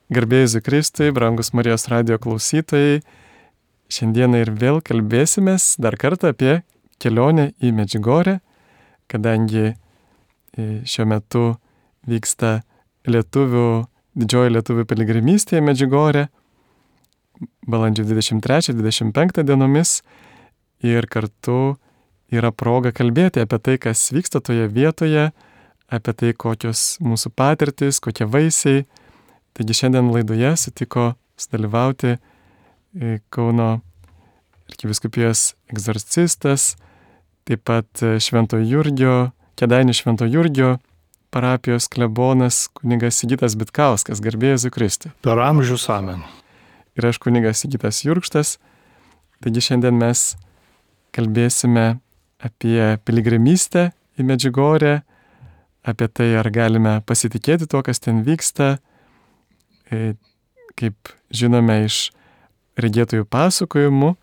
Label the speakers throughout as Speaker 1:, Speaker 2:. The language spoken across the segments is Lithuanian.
Speaker 1: Garbė Jėzui Kristui, brangus Marijos radijo klausytojai, šiandieną ir vėl kalbėsimės dar kartą apie kelionę į Medžiugorję, kadangi šiuo metu vyksta didžioji lietuvių piligrimystė į Medžiugorję, balandžio 23-25 dienomis, ir kartu yra proga kalbėti apie tai, kas vyksta toje vietoje, apie tai, kokios mūsų patirtis, kokie vaisiai. Taigi šiandien laidoje sutiko sudalyvauti Kauno arkivyskupijos egzorcistas, taip pat Kėdainių Švento Jurgio parapijos klebonas kunigas Sigitas Bitkauskas, garbė Jėzui Kristui.
Speaker 2: Per amžius amen.
Speaker 1: Ir aš kunigas Sigitas Jurkštas. Taigi šiandien mes kalbėsime apie piligrimystę į Medžiugorję, apie tai, ar galime pasitikėti tuo, kas ten vyksta. Kaip žinome iš regėtojų pasakojimų,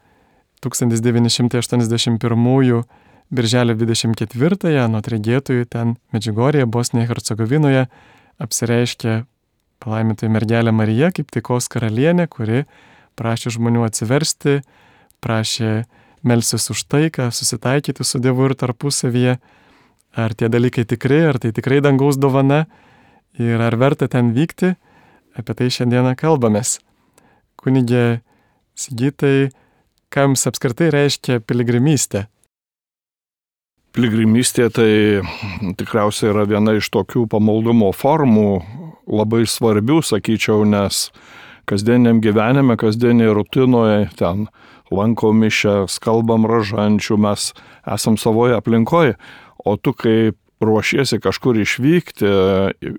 Speaker 1: 1981 birželio 24-ąją anot regėtojų ten Medžiugorėje, Bosnijoje, Hercegovinoje apsireiškė palaimintoji mergelė Marija kaip taikos karalienė, kuri prašė žmonių atsiversti, prašė melstis už taiką, susitaikyti su Dievu ir tarpusavyje. Ar tie dalykai tikri, ar tai tikrai dangaus dovana ir ar verta ten vykti, apie tai šiandieną kalbamės. Kunige Sigitai, ką jums apskritai reiškia piligrimystė?
Speaker 2: Piligrimystė tai tikriausiai yra viena iš tokių pamaldumo formų, labai svarbių, sakyčiau, nes kasdieniam gyvenime, kasdieniai rutinoje, ten lankom mišias, kalbam rožančių, mes esam savoje aplinkoje, o tu kaip ruošiesi kažkur išvykti,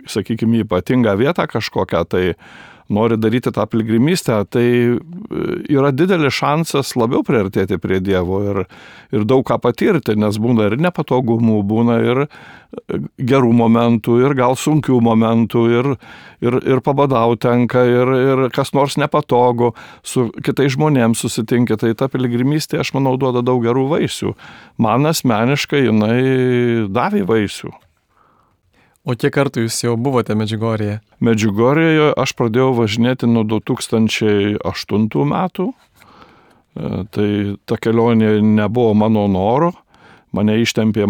Speaker 2: sakykime, ypatingą vietą kažkokią, tai nori daryti tą piligrimystę, tai yra didelis šansas labiau priartėti prie Dievo ir daug ką patirti, nes būna ir nepatogumų, būna ir gerų momentų, ir gal sunkių momentų, ir pabadauti tenka, ir kas nors nepatogu, su kitais žmonėms susitinki, tai ta piligrimystė, aš manau, duoda daug gerų vaisių. Man asmeniškai jinai davė vaisių.
Speaker 1: O kiek kartų jūs jau buvote Medžiugorėje?
Speaker 2: Medžiugorėje aš pradėjau važinėti nuo 2008 metų. Tai ta kelionė nebuvo mano noro. Mane ištempė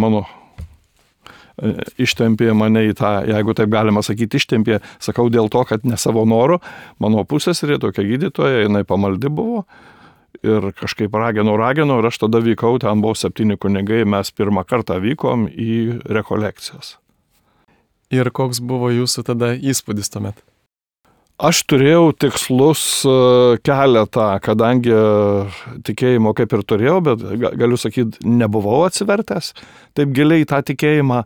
Speaker 2: mane į tą, jeigu taip galima sakyti, ištempė, sakau dėl to, kad ne savo noru. Mano pusseserė, tokia gydytoja, jinai pamaldi buvo. Ir kažkaip ragino, ir aš tada vykau, ten buvo 7 kunigai, mes pirmą kartą vykom į rekolekcijas.
Speaker 1: Ir koks buvo jūsų tada įspūdis tuomet?
Speaker 2: Aš turėjau tikslus keletą, kadangi tikėjimo kaip ir turėjau, bet galiu sakyti, nebuvau atsivertęs taip giliai tą tikėjimą.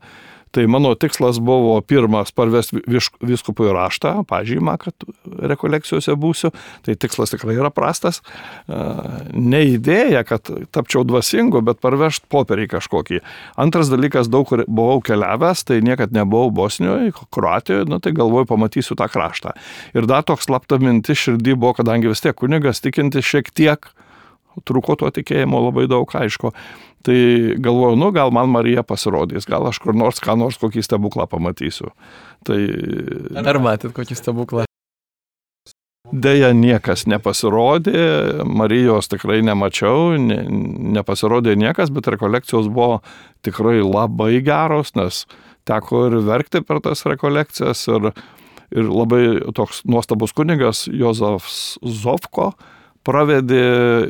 Speaker 2: Tai mano tikslas buvo pirmas parvesti vyskupui raštą, pažymą, kad rekolekcijose būsiu. Tai tikslas tikrai yra prastas. Ne idėja, kad tapčiau dvasingu, bet parvežti popierį kažkokį. Antras dalykas, daug kur buvau keliavęs, tai niekad nebuvau Bosnijoje, Kroatijoje, tai galvoju, pamatysiu tą kraštą. Ir dar toks slapta mintis širdį buvo, kadangi vis tiek kunigas tikintis šiek tiek, trūko to tikėjimo labai daug, aišku. Tai galvoju, gal man Marija pasirodys, gal aš kur nors, kokį stebuklą pamatysiu. Tai...
Speaker 1: Ar matėt kokį stebuklą?
Speaker 2: Deja, niekas nepasirodė, Marijos tikrai nemačiau, nepasirodė niekas, bet rekolekcijos buvo tikrai labai geros, nes teko ir verkti per tas rekolekcijas ir labai toks nuostabus kunigas Jozefas Zovko pravedė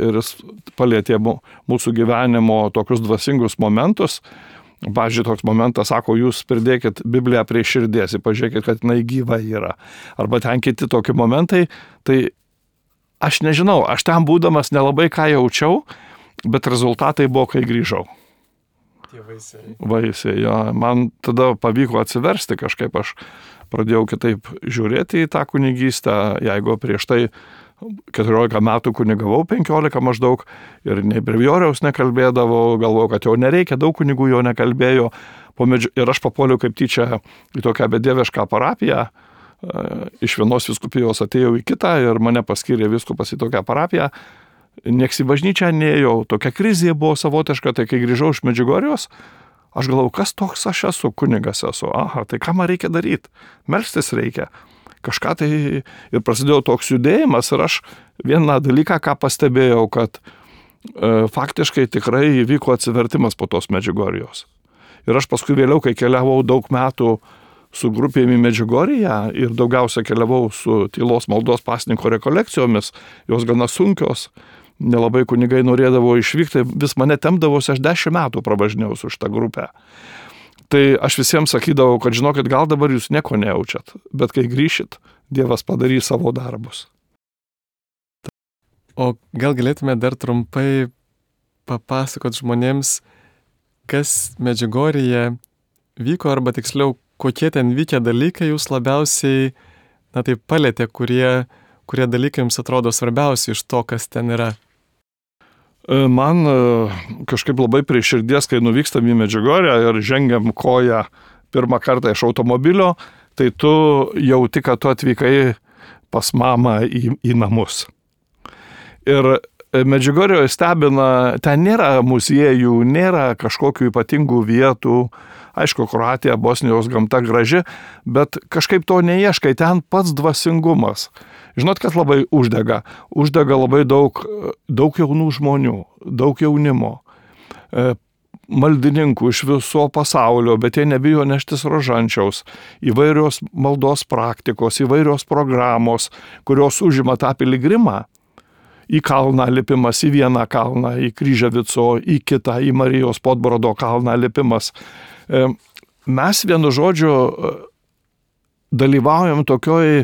Speaker 2: ir jis palietė mūsų gyvenimo tokius dvasingus momentus. Pavyzdžiui, toks momentas, sako, jūs pridėkit Bibliją prie širdies, pažiūrėkit, kad jinai gyva yra. Arba ten kiti tokie momentai, tai aš nežinau, aš ten būdamas nelabai ką jaučiau, bet rezultatai buvo, kai grįžau.
Speaker 1: Tie vaisiai.
Speaker 2: Vaisiai, jo. Man tada pavyko atsiversti kažkaip, aš pradėjau kitaip žiūrėti į tą kunigystę, jeigu prieš tai 14 metų kunigavau, 15 maždaug, ir nei brevijoriaus nekalbėdavau, galvojau, kad jau nereikia, daug kunigų jau nekalbėjo, ir aš papuoliau kaip tyčia į tokią bedievišką parapiją, iš vienos vyskupijos atėjau į kitą ir mane paskyrė vyskupas į tokią parapiją, nieks į bažnyčią neėjau, tokia krizė buvo savotiška, tai kai grįžau iš Medžiugorijos, aš galvojau, kas toks aš esu, kunigas esu, tai ką man reikia daryti, melstis reikia. kažką tai ir prasidėjo toks judėjimas ir aš vieną dalyką, ką pastebėjau, kad faktiškai tikrai įvyko atsivertimas po tos Medžiugorjos. Ir aš paskui vėliau, kai keliavau daug metų su grupėmi Medžiugorje ir daugiausia keliavau su tylos maldos pasninko rekolekcijomis, jos gana sunkios, nelabai kunigai norėdavo išvykti, vis mane tempdavosi, aš 10 metų pravažinėjau su šitą grupę. Tai aš visiems sakydavau, kad žinokit, gal dabar jūs nieko nejaučiat, bet kai grįšit, Dievas padarys savo darbus.
Speaker 1: O gal galėtume dar trumpai papasakot žmonėms, kas Medžiugorje vyko, arba tiksliau, kokie ten vykę dalykai jūs labiausiai, taip palėtė, kurie dalykai jums atrodo svarbiausi iš to, kas ten yra?
Speaker 2: Man kažkaip labai prie širdies, kai nuvykstam į Medžiugorję ir žengiam koją pirmą kartą iš automobilio, tai tu jauti, kad tu atvykai pas mamą į namus. Ir Medžiugorjoje stebina, ten nėra muziejų, nėra kažkokių ypatingų vietų. Aišku, Kroatija, Bosnijos gamta graži, bet kažkaip to neieškai, ten pats dvasingumas. Žinot, kas labai uždega? Uždega labai daug jaunų žmonių, daug jaunimo, maldininkų iš viso pasaulio, bet jie nebijo neštis rožančiaus, įvairios maldos praktikos, įvairios programos, kurios užima tą piligrimą. Į kalną lipimas, į vieną kalną, į Kryževico, į kitą, į Marijos Podbrodo kalną lipimas. Mes vienu žodžiu dalyvaujam tokioj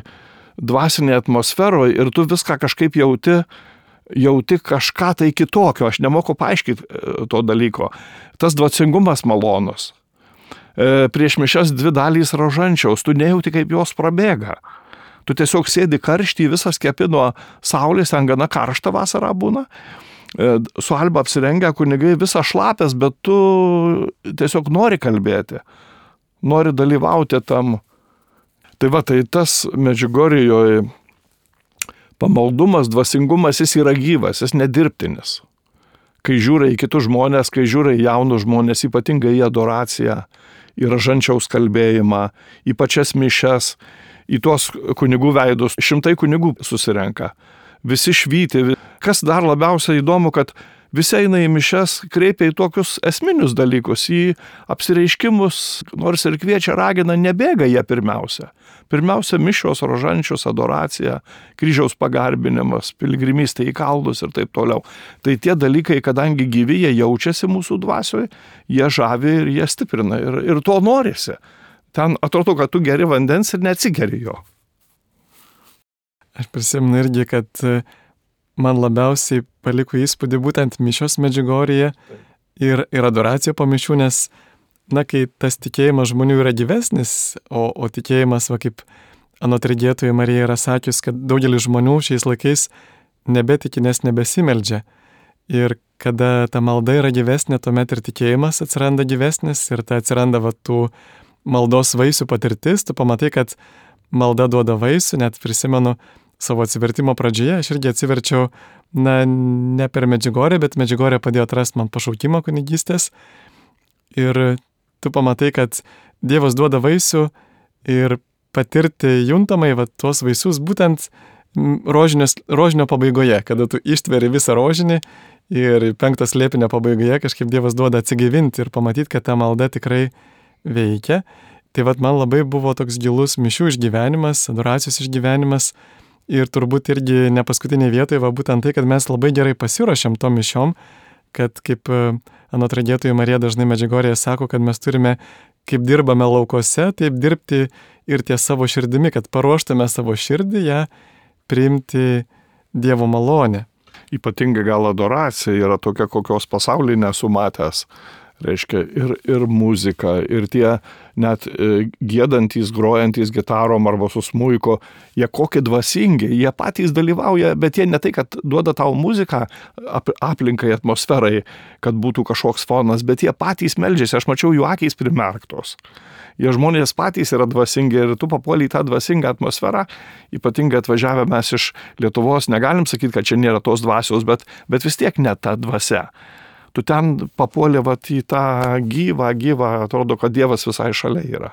Speaker 2: dvasinėje atmosferoje ir tu viską kažkaip jauti kažką tai kitokio, aš nemoku paaiškinti to dalyko. Tas dvasingumas malonus. Prieš mišias 2 dalys rožančiaus, tu nejauti, kaip jos prabėga. Tu tiesiog sėdi karštį, visas kepi nuo saulės, ten gana karšta vasara būna. Su alba apsirengę kunigai visas šlapės, bet tu tiesiog nori kalbėti, nori dalyvauti tam. Tai va, tai tas Medžiugorjoje pamaldumas, dvasingumas, jis yra gyvas, jis nedirbtinis. Kai žiūri į kitus žmonės, kai žiūri į jaunus žmonės, ypatingai į adoraciją, į rožančiaus kalbėjimą, į pačias mišias, į tuos kunigų veidus, 100 kunigų susirenka. Visi švyti. Kas dar labiausiai įdomu, kad visi eina į mišias, kreipia į tokius esminius dalykus, į apsireiškimus, nors ir kviečia, ragina, nebėga jie pirmiausia. Pirmiausia, mišios, rožančius, adoracija, kryžiaus pagarbinimas, piligrimystė į kalnus ir taip toliau. Tai tie dalykai, kadangi gyvi, jie jaučiasi mūsų dvasioje, jie žavi ir jie stiprina ir to norisi. Ten atrodo, kad tu geri vandens ir neatsigeri jo.
Speaker 1: Aš prisimenu irgi, kad man labiausiai paliko įspūdį būtent mišios Medžiugorėje ir adoracija po mišių, nes, kai tas tikėjimas žmonių yra gyvesnis, o tikėjimas, kaip anot regėtojų Marija yra sakius, kad daugelis žmonių šiais laikais nebetiki, nes nebesimeldžia. Ir kada ta malda yra gyvesnė, tuomet ir tikėjimas atsiranda gyvesnis ir ta atsiranda tų maldos vaisių patirtis, tu pamatai, kad malda duoda vaisių, net prisimenu savo atsivertimo pradžioje, aš irgi atsiverčiau, ne per Medžiugorję, bet Medžiugorė padėjo atrasti man pašaukimą kunigystės ir tu pamatai, kad Dievas duoda vaisių ir patirti juntamai tuos vaisius būtent rožinio pabaigoje, kada tu ištveri visą rožinį ir 5 slėpinio pabaigoje kažkaip Dievas duoda atsigaivinti ir pamatyti, kad ta malda tikrai veikia. Tai man labai buvo toks gilus mišių išgyvenimas, adoracijos išgyvenimas ir turbūt irgi ne paskutinėje vietoje būtent tai, kad mes labai gerai pasiruošėm tom mišiom, kad kaip anot regėtojų Marija dažnai Medžiugorėje sako, kad mes turime, kaip dirbame laukose, taip dirbti ir ties savo širdimi, kad paruoštume savo širdį ją priimti Dievo malonę.
Speaker 2: Ypatingai gal adoracija yra tokia, kokios pasaulyje nesu matęs. Reiškia ir muzika, ir tie net giedantys, grojantys gitarom arba su smuiko, jie kokie dvasingi, jie patys dalyvauja, bet jie ne tai, kad duoda tau muziką aplinkai, atmosferai, kad būtų kažkoks fonas, bet jie patys meldžiasi, aš mačiau jų akys primerktos. Jie žmonės patys yra dvasingi ir tu papuoli į tą dvasingą atmosferą, ypatingai atvažiavę mes iš Lietuvos, negalim sakyti, kad čia nėra tos dvasios, bet vis tiek ne ta dvasia. Tu ten papuolė į tą gyvą, atrodo, kad Dievas visai šalia yra.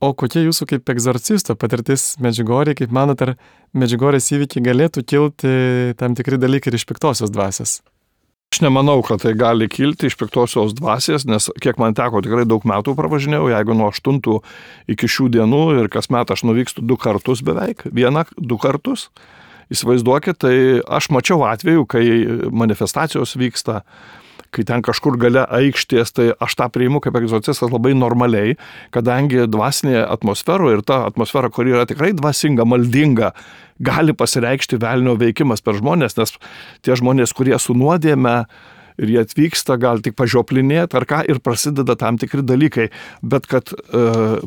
Speaker 1: O kokia jūsų kaip egzorcisto patirtis Medžiugorėje, kaip manot, ar Medžiugorės įvykiai galėtų kilti tam tikri dalykai ir iš piktosios dvasios?
Speaker 2: Aš nemanau, kad tai gali kilti iš piktosios dvasios, nes kiek man teko, tikrai daug metų pravažinėjau, jeigu nuo 8 iki šių dienų ir kasmet aš nuvykstu 2 kartus beveik, 1-2 kartus. Įsivaizduokit, tai aš mačiau atvejų, kai manifestacijos vyksta, kai ten kažkur gale aikštės, tai aš tą priimu kaip egzorcistas labai normaliai, kadangi dvasinė atmosfera ir ta atmosfera, kuri yra tikrai dvasinga, maldinga, gali pasireikšti velnio veikimas per žmonės, nes tie žmonės, kurie su nuodėme ir jie atvyksta, gal tik pažioplinėti ar ką ir prasideda tam tikri dalykai, bet kad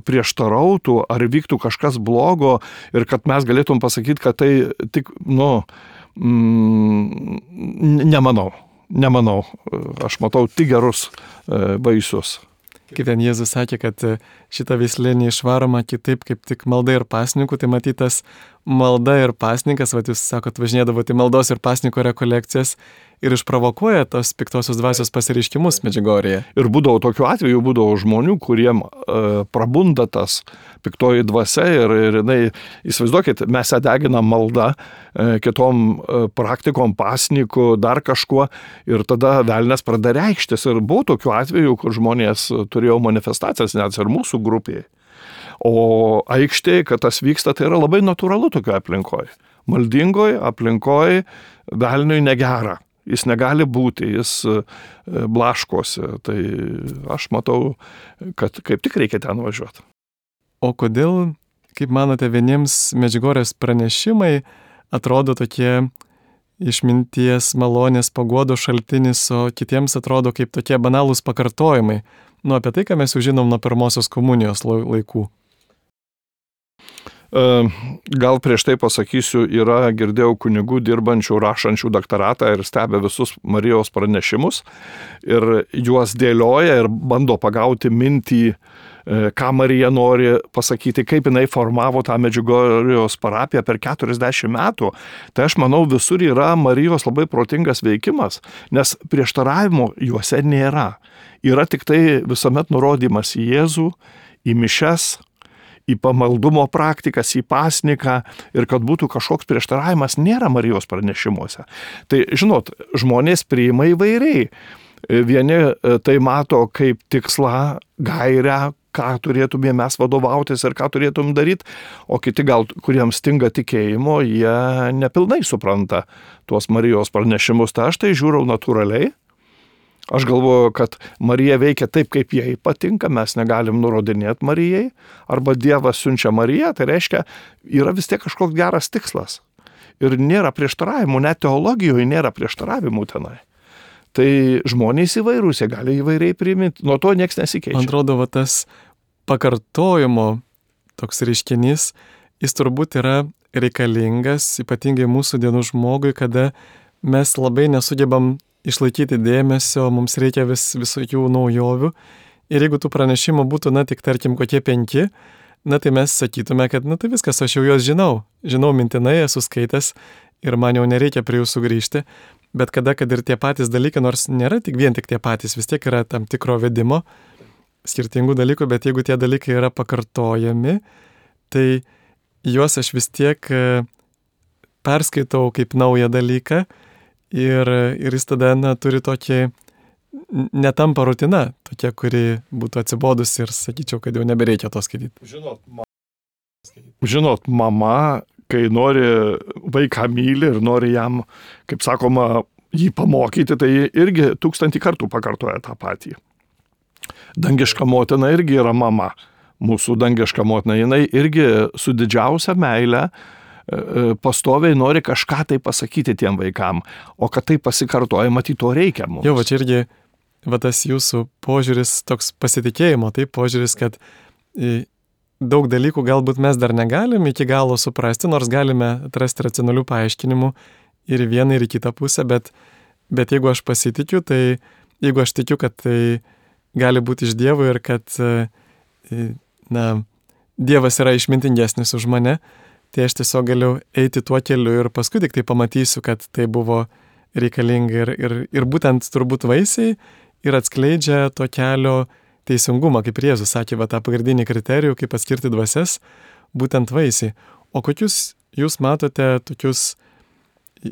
Speaker 2: prieštarautų ar vyktų kažkas blogo ir kad mes galėtum pasakyti, kad tai tik, Nemanau. Aš matau tik gerus vaisius.
Speaker 1: Kaip ten Jėzus sakė, kad šitą veislę neišvaroma kitaip kaip tik malda ir pasninkų, tai matytas malda ir pasninkas, jūs sakot, važinėdavote į maldos ir pasninko rekolekcijas ir išprovokuoja tos piktosios dvasios pasireiškimus Medžiugorėje.
Speaker 2: Ir būdavo tokių atvejų, būdavo žmonių, kuriem prabunda tas piktoji dvasia ir įsivaizduokit, mes ją deginam maldą, kitom praktikom, pasniku, dar kažkuo ir tada velnias pradeda reikštis. Ir buvo tokių atvejų, kur žmonės turėjo manifestacijas net ir mūsų grupėje. O aikštėje, kad tas vyksta, tai yra labai natūralu tokioje aplinkoje. Maldingoje aplinkoje velniui negera. Jis negali būti, jis blaškosi. Tai aš matau, kad kaip tik reikia ten važiuoti.
Speaker 1: O kodėl, kaip manote, vieniems Medžiugorės pranešimai atrodo tokie išminties, malonės, paguodos šaltinis, o kitiems atrodo kaip tokie banalūs pakartojimai? Apie tai, ką mes jau žinom nuo pirmosios komunijos laikų.
Speaker 2: Gal prieš tai pasakysiu, girdėjau kunigų dirbančių, rašančių daktaratą ir stebė visus Marijos pranešimus ir juos dėlioja ir bando pagauti mintį, ką Marija nori pasakyti, kaip jinai formavo tą Medžiugorjos parapiją per 40 metų. Tai aš manau, visur yra Marijos labai protingas veikimas, nes prieštaravimo juose nėra. Yra tik tai visuomet nurodymas į Jėzų, į mišias, į pamaldumo praktikas, į pasniką ir kad būtų kažkoks prieštaravimas nėra Marijos pranešimuose. Tai, žinot, žmonės priima įvairiai. Vieni tai mato kaip tikslą, gairę, ką turėtume mes vadovautis ir ką turėtum daryti, o kiti gal, kuriems stinga tikėjimo, jie nepilnai supranta tuos Marijos pranešimus. Tai aš tai žiūriu natūraliai. Aš galvoju, kad Marija veikia taip, kaip jai patinka, mes negalim nurodinėti Marijai, arba Dievas siunčia Mariją, tai reiškia, yra vis tiek kažkoks geras tikslas. Ir nėra prieštaravimų, net teologijoje nėra prieštaravimų tenai. Tai žmonės įvairūs, jie gali įvairiai priimti, nuo to nieks nesikeičia.
Speaker 1: Man atrodo, tas pakartojimo toks reiškinys, jis turbūt yra reikalingas, ypatingai mūsų dienų žmogui, kada mes labai nesugebam išlaikyti dėmesio, mums reikia visokių naujovių. Ir jeigu tų pranešimų būtų, tik tarkim kokie 5, tai mes sakytume, kad tai viskas, aš jau juos žinau. Žinau mintinai, esu skaitęs ir man jau nereikia prie jų sugrįžti. Bet kad ir tie patys dalykai, nors nėra vien tik tie patys, vis tiek yra tam tikro vedimo, skirtingų dalykų, bet jeigu tie dalykai yra pakartojami, tai juos aš vis tiek perskaitau kaip naują dalyką. Ir jis tada turi tokį, netampa rutina, tokia, kuri būtų atsibodus ir sakyčiau, kad jau nebereikia to skaityti.
Speaker 2: Žinot, mama, kai nori vaiką myli ir nori jam, kaip sakoma, jį pamokyti, tai irgi 1000 kartų pakartoja tą patį. Dangiška motina irgi yra mama. Mūsų dangiška motina, jinai irgi su didžiausia meile pastoviai nori kažką tai pasakyti tiem vaikam, o kad tai pasikartoja, matyt, to reikia mums.
Speaker 1: Jo, čia irgi tas jūsų požiūris, toks pasitikėjimo, tai požiūris, kad daug dalykų galbūt mes dar negalim iki galo suprasti, nors galime atrasti racionalių paaiškinimų ir į vieną, ir į kitą pusę, bet jeigu aš pasitikiu, tai jeigu aš tikiu, kad tai gali būti iš Dievo ir kad Dievas yra išmintingesnis už mane, tai aš tiesiog galiu eiti tuo keliu ir paskui tik tai pamatysiu, kad tai buvo reikalinga ir būtent turbūt vaisiai ir atskleidžia to kelio teisingumą, kaip Jėzus sakė, va tą pagrindinį kriterijų, kaip atskirti dvasias, būtent vaisiai. O kokius jūs matote tokius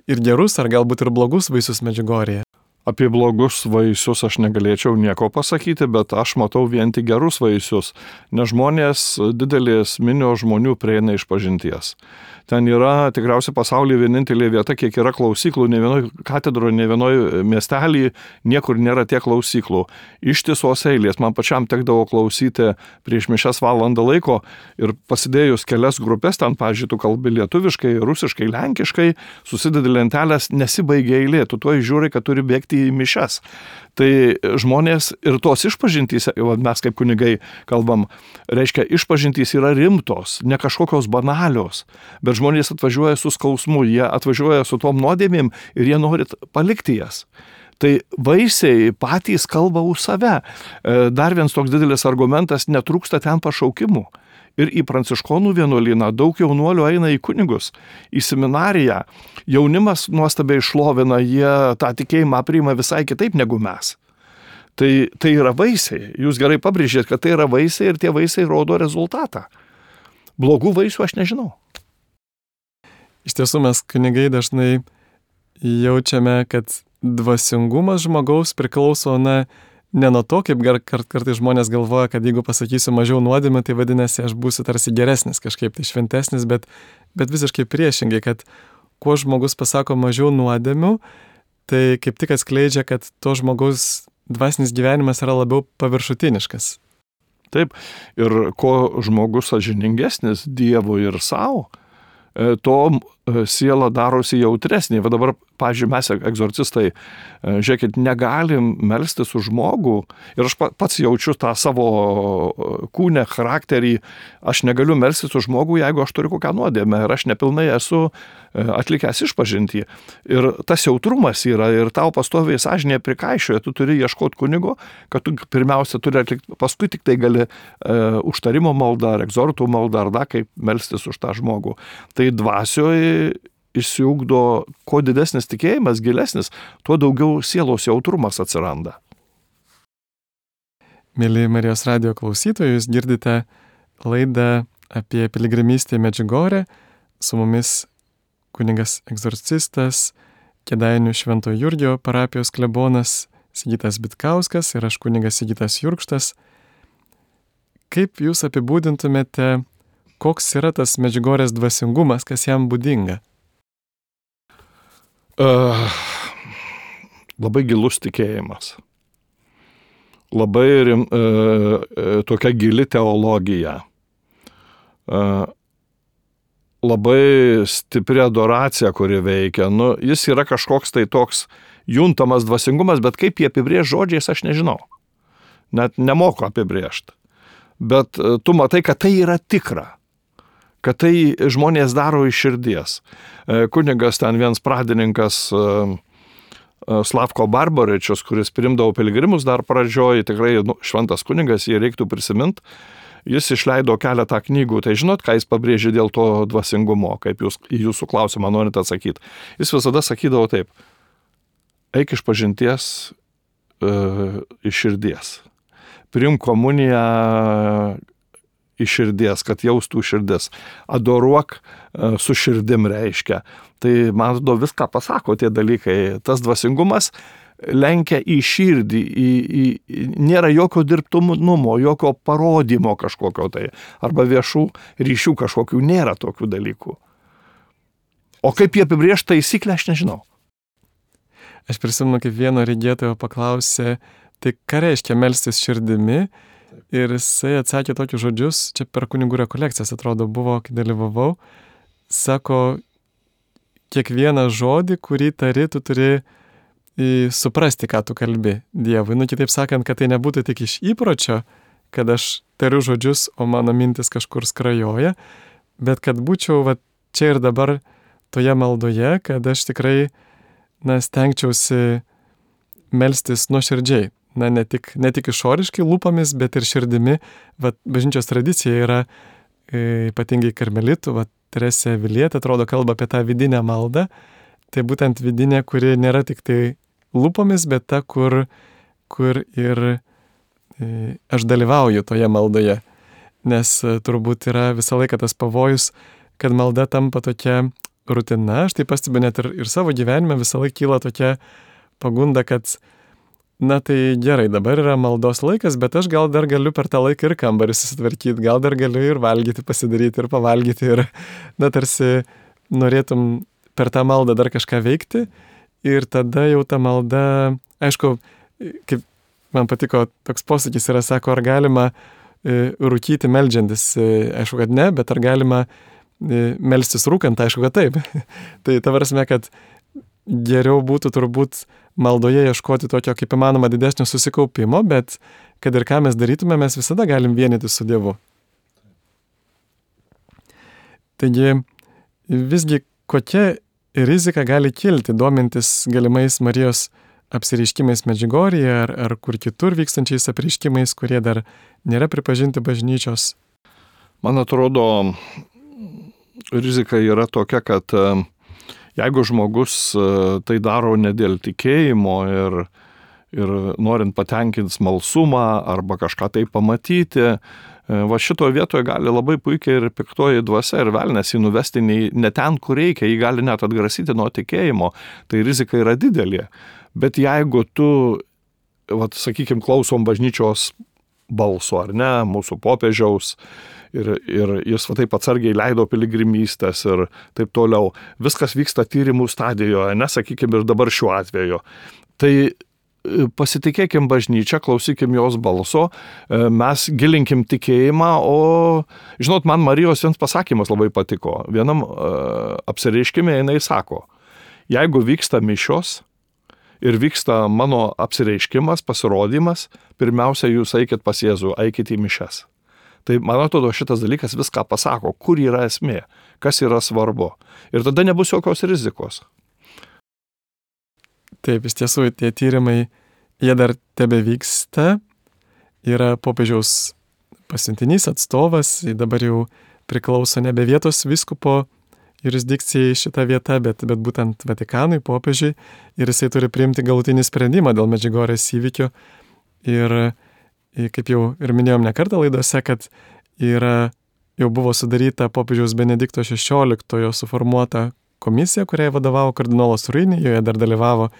Speaker 1: ir gerus, ar galbūt ir blogus vaisius Medžiugorėje?
Speaker 2: Apie blogus vaisius aš negalėčiau nieko pasakyti, bet aš matau vien tik gerus vaisius, nes žmonės, didelės minios žmonių prieina išpažinties. Ten yra tikriausiai pasaulyje vienintelė vieta, kiek yra klausyklų, ne vienoj katedroje, ne vienoj miestelį, niekur nėra tiek klausyklų. Ištisos eilės, man pačiam tekdavo klausyti prieš mišias valandą laiko ir pasidėjus kelias grupės, ten, pavyzdžiui, tu kalbi lietuviškai, rusiškai, lenkiškai, susidedi lentelės, nesibaigia eilė, tu tuoj žiūri, kad turi bėgti į mišias. Tai žmonės ir tos išpažintys, mes kaip kunigai kalbam, reiškia, išpažintys yra rimtos, ne kažkokios banalios, bet žmonės atvažiuoja su skausmu, jie atvažiuoja su tom nuodėmėm ir jie nori palikti jas. Tai vaisiai patys kalba už save. Dar vienas toks didelis argumentas, netrūksta ten pašaukimų. Ir į pranciškonų vienuolyną daug jaunuolių eina į kunigus, į seminariją. Jaunimas nuostabiai šlovina, jie tą tikėjimą priima visai kitaip negu mes. Tai yra vaisiai. Jūs gerai pabrėžėt, kad tai yra vaisiai ir tie vaisiai rodo rezultatą. Blogų vaisių aš nežinau.
Speaker 1: Iš tiesų mes kunigai dažnai jaučiame, kad dvasingumas žmogaus priklauso ne nuo to, kaip kartais žmonės galvoja, kad jeigu pasakysiu mažiau nuodėmių, tai vadinasi, aš būsiu tarsi geresnis, kažkaip tai šventesnis, bet visiškai priešingai, kad kuo žmogus pasako mažiau nuodėmių, tai kaip tik atskleidžia, kad to žmogaus dvasinis gyvenimas yra labiau paviršutiniškas.
Speaker 2: Taip, ir kuo žmogus sąžiningesnis Dievui ir savo, to siela darosi jautresnė. Va dabar, pavyzdžiui, mes egzorcistai, žiūrėkit, negalim melstis už žmogų ir aš pats jaučiu tą savo kūnę, charakterį, aš negaliu melstis už žmogų, jeigu aš turiu kokią nuodėmę ir aš nepilnai esu atlikęs išpažintį. Ir tas jautrumas yra ir tau pastoviai sąžinė prikaišioja, tu turi ieškoti kunigo, kad tu pirmiausia turi atlikti, paskui tik tai gali užtarimo maldą ar egzortų maldą ar dar kaip melstis už tą žmogų. Tai dvasioje išsiugdo, kuo didesnis tikėjimas, gilesnis, tuo daugiau sielos jautrumas atsiranda.
Speaker 1: Mėly Marijos radijo klausytojai, jūs girdite laidą apie piligrimystę į Medžiugorę, su mumis kunigas egzorcistas, Kėdainių Švento Jurgio parapijos klebonas Sigitas Bitkauskas ir aš kunigas Sigitas Jurkštas. Kaip jūs apibūdintumėte, koks yra tas Medžiugorės dvasingumas, kas jam būdinga?
Speaker 2: Labai gilus tikėjimas. Labai tokia gili teologija. Labai stipri adoracija, kuri veikia. Jis yra kažkoks tai toks juntamas dvasingumas, bet kaip jį apibrėžti žodžiais, aš nežinau. Net nemoku apibrėžti. Bet tu matai, kad tai yra tikra. Kad tai žmonės daro iš širdies. Kunigas ten vienas pradininkas Slavko Barbaričius, kuris priimdavo piligrimus dar pradžioj, tikrai šventas kunigas, jį reiktų prisiminti. Jis išleido keletą knygų, tai žinot, ką jis pabrėžė dėl to dvasingumo, kaip jūs į jūsų klausimą norite atsakyti. Jis visada sakydavo taip, eik iš pažinties iš širdies. Priimk komuniją iš širdies, kad jaustų širdis. Adoruok su širdim reiškia. Tai, man atrodo, viską pasako tie dalykai. Tas dvasingumas lenkia į širdį, nėra jokio dirbtinumo, jokio parodymo kažkokio tai, arba viešų ryšių kažkokių, nėra tokių dalykų. O kaip jie apibrėžta taisyklę, aš nežinau.
Speaker 1: Aš prisimenu, kaip vieno regėtojo paklausė, tai ką reiškia melstis širdimi? Ir jisai atsakė tokius žodžius, čia per kunigų rekolekcijas, atrodo, buvo, kai dalyvavau, sako, kiekvieną žodį, kurį tari, tu turi suprasti, ką tu kalbi Dievui. Kitaip sakant, kad tai nebūtų tik iš įpročio, kad aš tariu žodžius, o mano mintis kažkur skrajoja, bet kad būčiau čia ir dabar toje maldoje, kad aš tikrai stengčiausi melstis nuoširdžiai. Ne tik išoriškai lūpomis, bet ir širdimi. Bažnyčios tradicija yra ypatingai karmelitų, Teresė Avilietė, atrodo, kalba apie tą vidinę maldą. Tai būtent vidinė, kuri nėra tik tai lūpomis, bet ta, kur ir aš dalyvauju toje maldoje, nes turbūt yra visą laiką tas pavojus, kad malda tampa tokia rutina. Aš tai pastebiu net ir savo gyvenime visą laiką kyla tokia pagunda, kad na tai gerai, dabar yra maldos laikas, bet aš gal dar galiu per tą laiką ir kambarį susitvarkyti, gal dar galiu ir valgyti, pasidaryti ir pavalgyti ir na tarsi norėtum per tą maldą dar kažką veikti ir tada jau ta malda, aišku, kaip man patiko toks posakis yra, sako, ar galima rūkyti meldžiantis, aišku, kad ne, bet ar galima melstis rūkant, aišku, kad taip. Tai ta prasme, kad geriau būtų turbūt maldoje ieškoti tokio kaip įmanoma didesnio susikaupimo, bet kad ir ką mes darytume, mes visada galim vienyti su Dievu. Taigi, visgi kokia rizika gali kilti, domintis galimais Marijos apsireiškimais Medžiugorjėje ar kur kitur vykstančiais apreiškimais, kurie dar nėra pripažinti bažnyčios?
Speaker 2: Man atrodo, rizika yra tokia, kad jeigu žmogus tai daro ne dėl tikėjimo ir norint patenkinti smalsumą arba kažką tai pamatyti, va šito vietoje gali labai puikiai ir piktoji dvasia ir velnias jį nuvesti ne ten, kur reikia, jį gali net atgrasyti nuo tikėjimo, tai rizika yra didelė. Bet jeigu tu, sakykime, klausom bažnyčios balso, ar ne, mūsų popiežiaus, ir jis taip atsargiai leido piligrimystės ir taip toliau. Viskas vyksta tyrimų stadijoje, nesakykime ir dabar šiuo atveju. Tai pasitikėkim bažnyčią, klausykim jos balso, mes gilinkim tikėjimą, o, žinot, man Marijos vienas pasakymas labai patiko. Vienam apsireiškime jinai sako, jeigu vyksta mišios ir vyksta mano apsireiškimas, pasirodymas, pirmiausia, jūs eikit pas Jėzų, eikit į mišias. Tai man atrodo, šitas dalykas viską pasako, kur yra esmė, kas yra svarbu. Ir tada nebus jokios rizikos.
Speaker 1: Taip, iš tiesų, tie tyrimai, jie dar tebe vyksta. Yra popiežiaus pasiuntinys atstovas, dabar jau priklauso nebe vietos vyskupo jurisdikcijai šita vieta, bet būtent Vatikanui, popiežiui. Ir jisai turi priimti galutinį sprendimą dėl Medžiugorjės įvykio. Ir kaip jau ir minėjom ne kartą laidose, kad jau buvo sudaryta popiežiaus Benedikto XVI suformuota komisija, kuriai vadovavo kardinolas Ruini, joje dar dalyvavo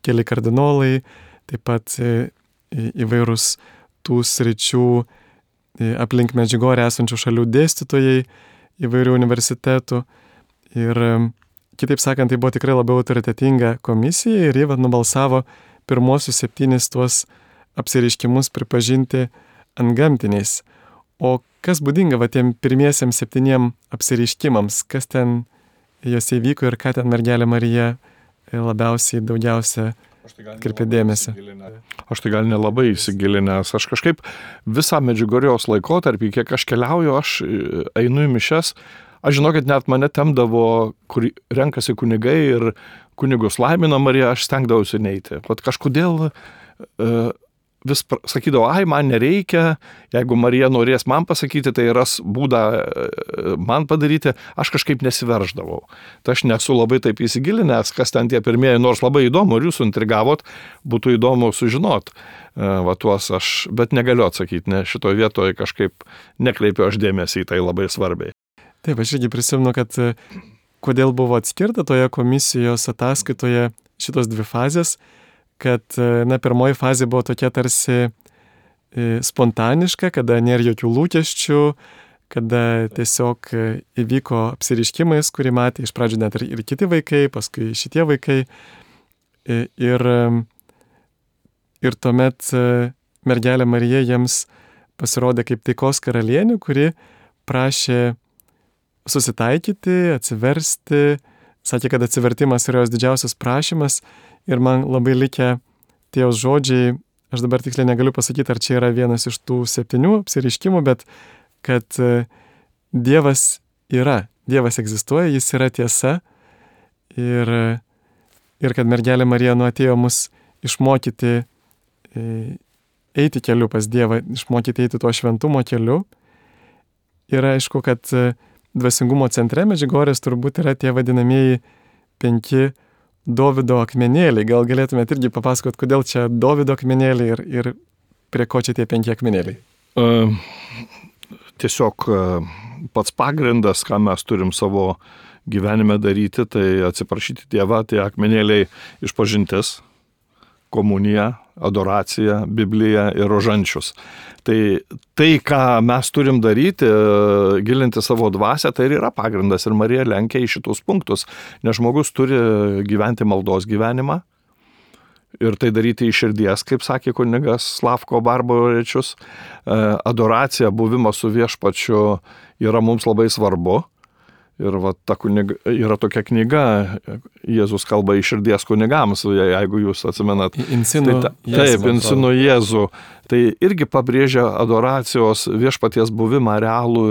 Speaker 1: keli kardinolai, taip pat įvairūs tų sričių aplink Medžiugorję esančių šalių dėstytojai įvairių universitetų. Ir kitaip sakant, tai buvo tikrai labiau autoritetinga komisija ir jie nubalsavo pirmosius 7 tuos apsireiškimus pripažinti antgamtiniais. O kas būdinga tiem pirmiesiems 7 apsireiškimams, kas ten jose įvyko ir ką ten mergelė Marija daugiausia atkreipė dėmesį?
Speaker 2: Aš tai gal nelabai įsigilinęs. Aš kažkaip visą Medžiugorjos laikotarpį, kiek aš keliauju, aš einu į mišias. Aš žinau, kad net mane temdavo, kur renkasi kunigai ir kunigus laimina Marija, aš stengdavausi neiti. Pat kažkodėl vis sakydavo, man nereikia, jeigu Marija norės man pasakyti, tai ras būdą man padaryti, aš kažkaip nesiverždavau. Tai aš nesu labai taip įsigilinęs, kas ten tie pirmieji, nors labai įdomu, ir jūs intrigavot, būtų įdomu sužinot. Bet negaliu atsakyti, nes šitoje vietoje kažkaip nekreipiu aš dėmesį į tai labai svarbiai.
Speaker 1: Taip, aš irgi prisimenu, kad kodėl buvo atskirta toje komisijos ataskaitoje šitos 2 fazės, kad, pirmoji fazė buvo tokia tarsi spontaniška, kada nėra jokių lūkesčių, kada tiesiog įvyko apsireiškimais, kurį matė iš pradžių net ir kiti vaikai, paskui šitie vaikai. Ir tuomet mergelė Marija jiems pasirodė kaip taikos karalienė, kuri prašė susitaikyti, atsiversti, sakė, kad atsivertimas yra jos didžiausias prašymas. Ir man labai likę tie jos žodžiai, aš dabar tiksliai negaliu pasakyti, ar čia yra vienas iš tų 7 apsireiškimų, bet kad Dievas yra, Dievas egzistuoja, jis yra tiesa ir kad mergelė Marija atėjo mus išmokyti eiti keliu pas Dievą, išmokyti eiti tuo šventumo keliu. Ir aišku, kad dvasingumo centre Medžiugorjės turbūt yra tie vadinamieji 5 Dovydo akmenėliai. Gal galėtumėte irgi papasakoti, kodėl čia Dovydo akmenėliai ir prie ko čia tie 5 akmenėliai?
Speaker 2: Tiesiog pats pagrindas, ką mes turim savo gyvenime daryti, tai atsiprašyti Dievą, tie akmenėliai išpažintis, komunija, adoracija, Biblija ir rožančius. Tai, ką mes turim daryti, gilinti savo dvasią, tai ir yra pagrindas. Ir Marija lenkia į šitus punktus, nes žmogus turi gyventi maldos gyvenimą ir tai daryti iš širdies, kaip sakė kunigas Slavko Barborečius. Adoracija, buvimas su viešpačiu yra mums labai svarbu. Ir yra tokia knyga, Jėzus kalba iš širdies kunigams, jeigu jūs atsimenat. Insinu Jėzų. Tai irgi pabrėžia adoracijos viešpaties buvimą realų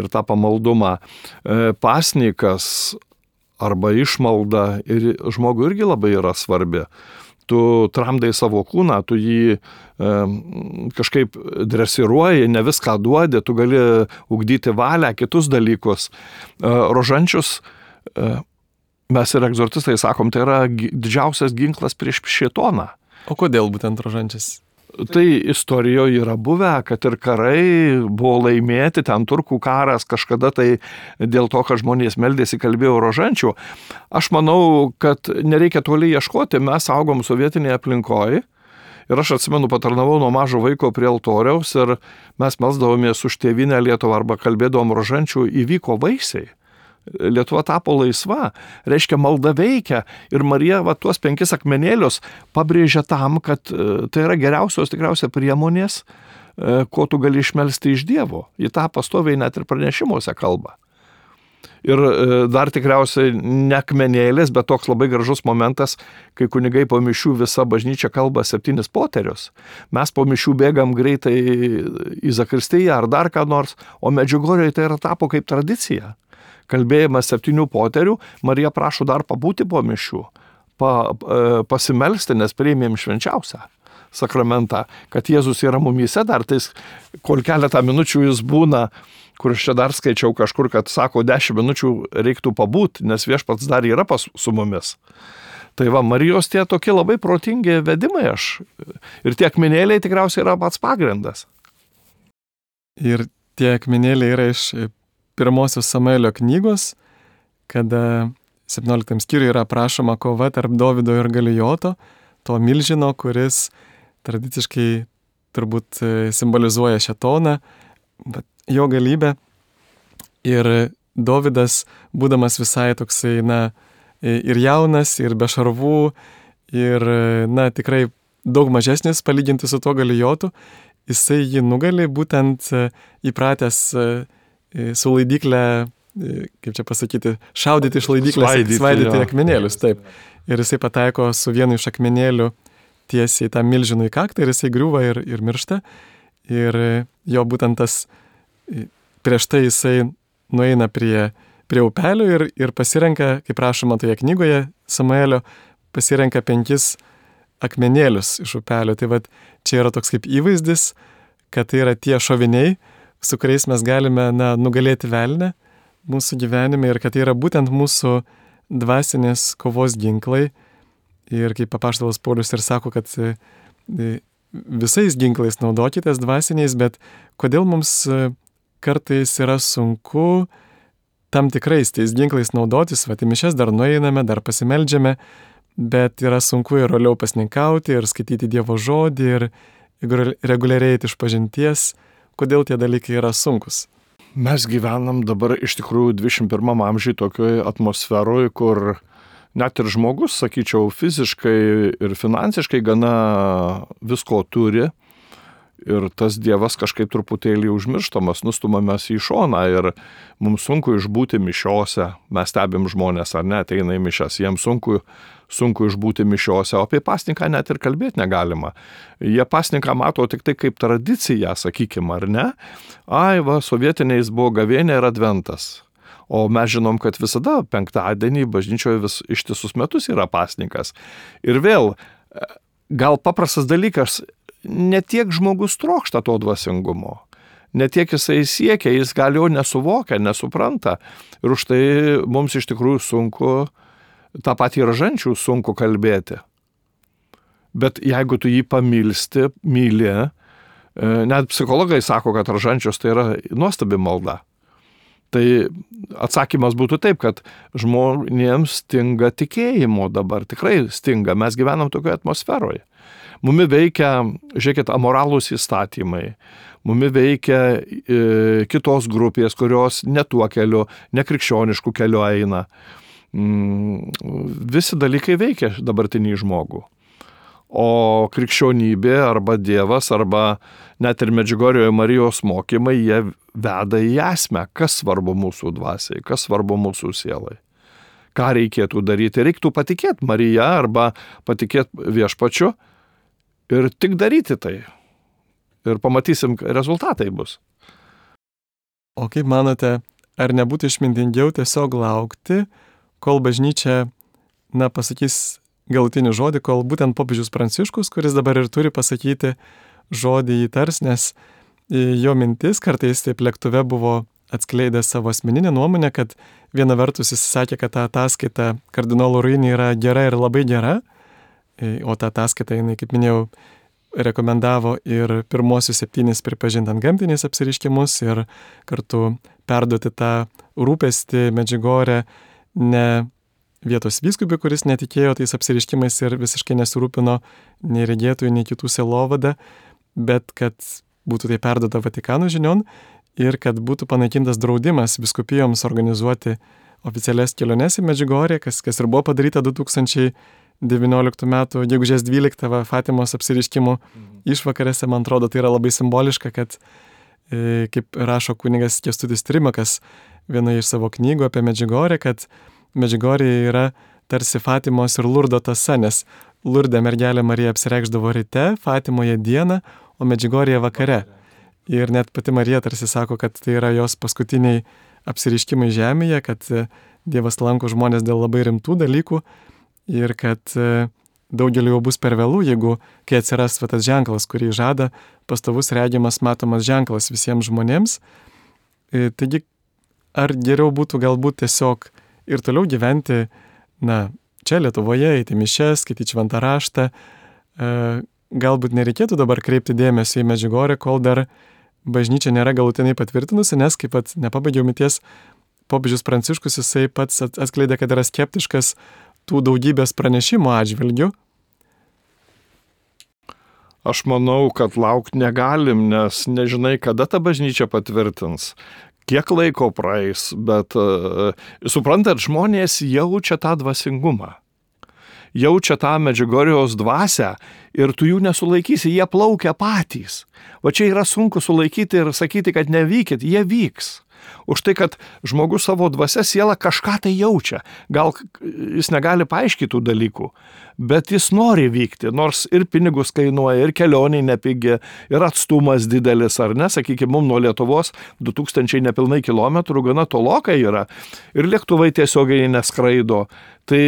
Speaker 2: ir tą pamaldumą. Pasnikas arba išmalda ir žmogui irgi labai yra svarbi. Tu tramdai savo kūną, tu jį kažkaip dresiruoji, ne viską duodi, tu gali ugdyti valią, kitus dalykus. Rožančius, mes ir egzorcistai sakom, tai yra didžiausias ginklas prieš šėtoną.
Speaker 1: O kodėl būtent rožančius?
Speaker 2: Tai istorijoje yra buvę, kad ir karai buvo laimėti, ten turkų karas kažkada tai dėl to, kad žmonės meldėsi, kalbėjo rožančių. Aš manau, kad nereikia toli ieškoti, mes augom sovietinėje aplinkoje ir aš atsimenu, patarnavau nuo mažo vaiko prie altoriaus ir mes melsdavomės už tėvynę Lietuvą arba kalbėdavom rožančių, įvyko vaisiai. Lietuva tapo laisva, reiškia malda veikia ir Marija tuos 5 akmenėlius pabrėžia tam, kad tai yra geriausios tikriausiai priemonės, ko tu gali išmelsti iš Dievo. Į tą pastoviai net ir pranešimuose kalba. Ir dar tikriausiai ne akmenėlės, bet toks labai gražus momentas, kai kunigai po mišių visa bažnyčia kalba 7 poterius. Mes po mišių bėgam greitai į zakristiją ar dar ką nors, o Medžiugorjoje tai yra tapo kaip tradicija. Kalbėjimas 7 poterių, Marija prašo dar pabūti po mišių, pasimelsti, nes priėmėm švenčiausią sakramentą, kad Jėzus yra mumyse dar, tais, kol keletą minučių jis būna, kur aš čia dar skaičiau kažkur, kad sako, 10 minučių reiktų pabūti, nes viešpats dar yra su mumis. Tai Marijos tie tokie labai protingi vedimai ir tie akmenėliai tikriausiai yra pats pagrindas.
Speaker 1: Ir tie akmenėliai yra iš pirmosios Samuelio knygos, kada 17 skyriuje yra aprašoma kova tarp Dovydo ir Galijoto, to milžino, kuris tradiciškai turbūt simbolizuoja šėtoną, jo galybę. Ir Dovydas, būdamas visai toksai, ir jaunas, ir be šarvų, ir, tikrai daug mažesnis palyginti su to Galijotu, jisai jį nugali būtent įpratęs su laidyklę, kaip čia pasakyti, šaudyti iš laidyklės, svaidyti akmenėlius, taip. Ir jisai pataiko su vienu iš akmenėlių tiesiai tą milžinų į kaktą ir jisai griūva ir miršta. Ir jo būtent tas, prieš tai jisai nueina prie upelio ir pasirenka, kaip rašoma toje knygoje Samuelio, pasirenka 5 akmenėlius iš upelio. Tai čia yra toks kaip įvaizdis, kad tai yra tie šoviniai, su kuriais mes galime nugalėti velnę mūsų gyvenime ir kad tai yra būtent mūsų dvasinės kovos ginklai. Ir kaip apaštalas Paulius ir sako, kad visais ginklais naudokitės dvasiniais, bet kodėl mums kartais yra sunku tam tikrais tais ginklais naudotis, į mišias dar nueiname, dar pasimeldžiame, bet yra sunku ir roliau pasninkauti, ir skaityti Dievo žodį, ir reguliariai eiti išpažinties. Kodėl tie dalykai yra sunkus?
Speaker 2: Mes gyvenam dabar iš tikrųjų 21 amžiuje tokioje atmosferoje, kur net ir žmogus, sakyčiau, fiziškai ir finansiškai gana visko turi ir tas Dievas kažkaip truputėlį užmirštamas, nustumamas į šoną ir mums sunku išbūti mišiose, mes stebim žmonės ar ne, ateina į mišias, jiems sunku išbūti mišiose, o apie pasninką net ir kalbėti negalima. Jie pasninką mato tik tai kaip tradiciją, sakykime, ar ne? Sovietiniais buvo gavėnė ir adventas. O mes žinom, kad visada penktadienį bažnyčioje ištisus metus yra pasninkas. Ir vėl, gal paprastas dalykas, ne tiek žmogus trokšta to dvasingumo, ne tiek jisai siekia, jis gal jo nesuvokia, nesupranta. Ir už tai mums iš tikrųjų sunku, tą patį rožančių sunku kalbėti. Bet jeigu tu jį pamilsti, myli, net psichologai sako, kad rožančius tai yra nuostabi malda. Tai atsakymas būtų taip, kad žmonėms stinga tikėjimo dabar, tikrai stinga, mes gyvenam tokioje atmosferoje. Mumi veikia, žiūrėkit, amoralūs įstatymai, mumi veikia kitos grupės, kurios ne tuo keliu, nekrikščioniškų keliu eina. Visi dalykai veikia dabartinį žmogų. O krikščionybė arba Dievas, arba net ir Medžiugorjoje Marijos mokymai, jie veda į esmę, kas svarbu mūsų dvasiai, kas svarbu mūsų sielai. Ką reikėtų daryti? Reiktų patikėti Marija arba patikėti Viešpačiu ir tik daryti tai. Ir pamatysim, rezultatai bus.
Speaker 1: O kaip manote, ar nebūtų išmintingiau tiesiog laukti, kol bažnyčia, pasakys galutinį žodį, kol būtent popiežius Pranciškus, kuris dabar ir turi pasakyti žodį įtars, nes jo mintis kartais taip lėktuve buvo atskleidęs savo asmeninę nuomonę, kad viena vertus jis sakė, kad ta ataskaita kardinolo Ruini yra gera ir labai gera, o ta ataskaita, jinai, kaip minėjau, rekomendavo ir pirmosius 7 pripažinti antgamtiniais apsireiškimus ir kartu perduoti tą rūpestį Medžiugorje ne vietos vyskupui, kuris netikėjo tais apsireiškimais ir visiškai nesirūpino nei regėtojų, nei kitų sielovadą, bet kad būtų tai perduota Vatikano žinion ir kad būtų panaikintas draudimas vyskupijoms organizuoti oficialias keliones į Medžiugorję, kas ir buvo padaryta 2019 metų gegužės 12 Fatimos apsireiškimų išvakarėse. Man atrodo, tai yra labai simboliška, kad, kaip rašo kunigas Kęstutis Trimakas vienoje iš savo knygų apie Medžiugorję, kad Medžiugorje yra tarsi Fatimos ir Lurdo tąsa, nes Lurde mergelė Marija apsireikšdavo ryte, Fatimoje dieną, o Medžiugorje vakare. Ir net pati Marija tarsi sako, kad tai yra jos paskutiniai apsireiškimai žemėje, kad Dievas lanko žmonės dėl labai rimtų dalykų ir kad daugeliu jau bus per vėlų, jeigu kai atsiras tas ženklas, kurį žada pastovus regimas, matomas ženklas visiems žmonėms. Taigi, ar geriau būtų galbūt tiesiog ir toliau gyventi, čia Lietuvoje, eiti mišias, skaityti šventą raštą. Galbūt nereikėtų dabar kreipti dėmesio į Medžiugorję, kol dar bažnyčia nėra galutinai patvirtinusi, nes kaip pat nepabaigiau minties, popiežius Pranciškus jisai pats atskleidė, kad yra skeptiškas tų daugybės pranešimų atžvilgių.
Speaker 2: Aš manau, kad laukti negalim, nes nežinai, kada ta bažnyčia patvirtins. Kiek laiko praeis, bet suprantat, žmonės jaučia tą dvasingumą, jaučia tą Medžiugorijos dvasią ir tu jų nesulaikysi, jie plaukia patys. Va čia yra sunku sulaikyti ir sakyti, kad nevykit, jie vyks. Už tai, kad žmogus savo dvasia siela kažką tai jaučia. Gal jis negali paaiškinti tų dalykų, bet jis nori vykti, nors ir pinigus kainuoja, ir kelionė nepigi, ir atstumas didelis, ar ne, sakykime, mums nuo Lietuvos 2000 nepilnai kilometrų gana tolokai yra, ir lėktuvai tiesiogiai neskraido. Tai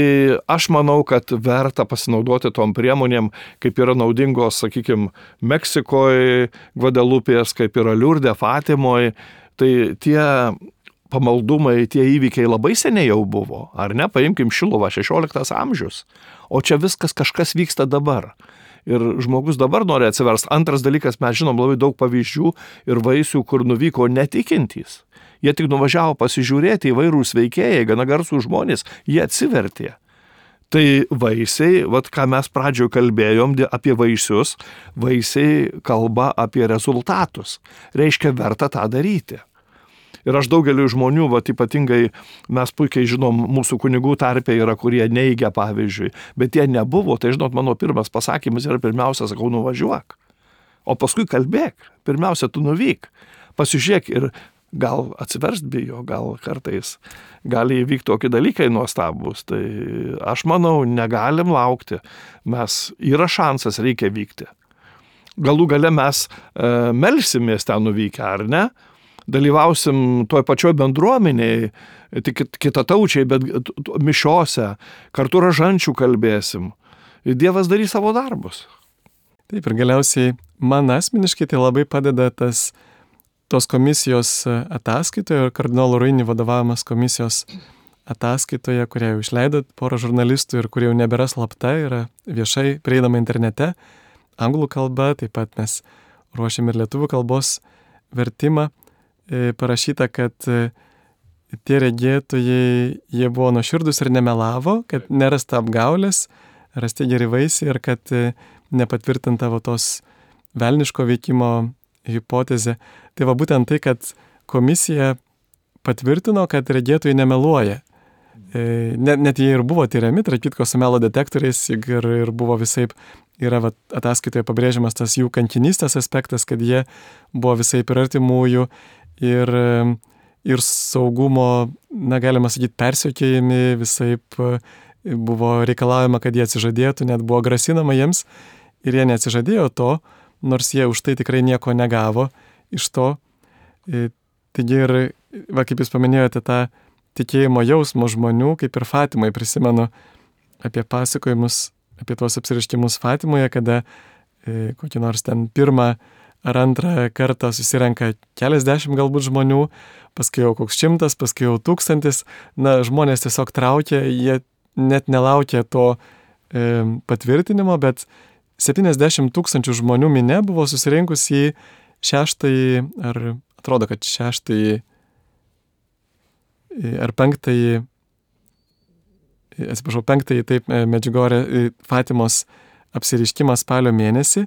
Speaker 2: aš manau, kad verta pasinaudoti tom priemonėm, kaip yra naudingos, sakykime, Meksikoje, Gvadelupės, kaip yra Liurde, Fatimoje. Tai tie pamaldumai, tie įvykiai labai seniai jau buvo, ar ne? Paimkim Šiluvą, 16 amžius, o čia viskas kažkas vyksta dabar. Ir žmogus dabar nori atsiversti. Antras dalykas, mes žinom labai daug pavyzdžių ir vaisių, kur nuvyko netikintys. Jie tik nuvažiavo pasižiūrėti, įvairūs veikėjai, gana garsų žmonės, jie atsivertė. Tai vaisiai, ką mes pradžioje kalbėjom apie vaisius, vaisiai kalba apie rezultatus. Reiškia, verta tą daryti. Ir aš daugeliu žmonių, ypatingai mes puikiai žinom, mūsų kunigų tarpe yra, kurie neigia pavyzdžiui, bet jie nebuvo. Tai žinot, mano pirmas pasakymas yra pirmiausia, sakau, nuvažiuok. O paskui kalbėk. Pirmiausia, tu nuvyk. Pasižiūrėk ir gal atsiverst bijo, gal kartais gali įvykti tokie dalykai nuostabus. Tai aš manau, negalim laukti. Yra šansas, reikia vykti. Galų gale mes melsimės ten nuvykę, ar ne? Dalyvausim toj pačioj bendruomeniai, tik kitataučiai, bet mišiose, kartu rožančių kalbėsim. Ir Dievas darys savo darbus.
Speaker 1: Taip, ir galiausiai man asmeniškai tai labai padeda tos komisijos ataskaitoje, kardinolo Ruini vadovavimas komisijos ataskaitoje, kurią jau išleido porą žurnalistų ir kurie jau nebėra slapta, yra viešai prieinama internete, anglų kalba, taip pat mes ruošiam ir lietuvių kalbos vertimą, parašyta, kad tie regėtojai, jie buvo nuoširdus ir nemelavo, kad nerasta apgaulės, rasti geri vaisiai ir kad nepatvirtinta tos velniško veikimo hipotezė. Tai va būtent tai, kad komisija patvirtino, kad regėtojai nemeluoja. Net jie ir buvo tyriami, tarp kitko su melo detektoriais ir buvo visaip, yra ataskaitoje pabrėžiamas tas jų kankinystės aspektas, kad jie buvo visaip ir artimųjų, ir saugumo, galima sakyti, persekiojami, visaip buvo reikalaujama, kad jie atsižadėtų, net buvo grasinama jiems ir jie neatsižadėjo to, nors jie už tai tikrai nieko negavo iš to. Taigi ir, kaip jūs paminėjote, tą tikėjimo jausmo žmonių, kaip ir Fatimai, prisimenu apie pasakojimus, apie tuos apsireiškimus Fatimoje, kada kokį nors ten pirmą ar antrą kartą susirenka keliasdešimt galbūt žmonių, paskui jau koks 100, paskui jau 1000, žmonės tiesiog traukia, jie net nelaukia to patvirtinimo, bet 70 000 žmonių minia buvo susirinkus į 6-ąjį, ar atrodo, kad 6-ąjį ar 5-ąjį, atsiprašau, 5-ąjį, taip, Medžiugorė Fatimos apsireiškimą spalio mėnesį